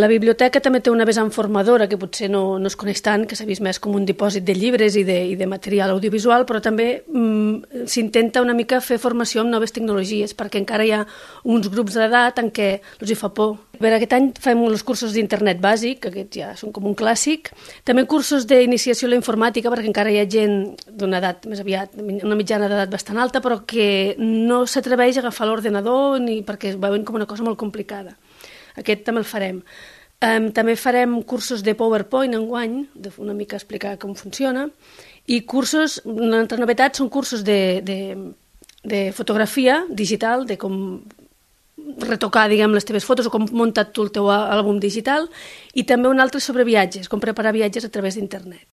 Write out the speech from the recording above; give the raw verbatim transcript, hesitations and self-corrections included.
La biblioteca també té una vessant formadora que potser no, no es coneix tant, que s'ha vist més com un dipòsit de llibres i de, i de material audiovisual, però també mm, s'intenta una mica fer formació amb noves tecnologies, perquè encara hi ha uns grups d'edat en què els hi fa por. Per aquest any fem els cursos d'internet bàsic, que aquests ja són com un clàssic. També cursos d'iniciació a la informàtica, perquè encara hi ha gent d'una edat més aviat, una mitjana d'edat bastant alta, però que no s'atreveix a agafar l'ordenador ni perquè es veuen com una cosa molt complicada. Aquest també el farem. Um, també farem cursos de PowerPoint enguany, de una mica explicar com funciona, i cursos, una altra novetat, són cursos de, de, de fotografia digital, de com retocar, diguem, les teves fotos o com muntar tu el teu àlbum digital, i també un altre sobre viatges, com preparar viatges a través d'internet.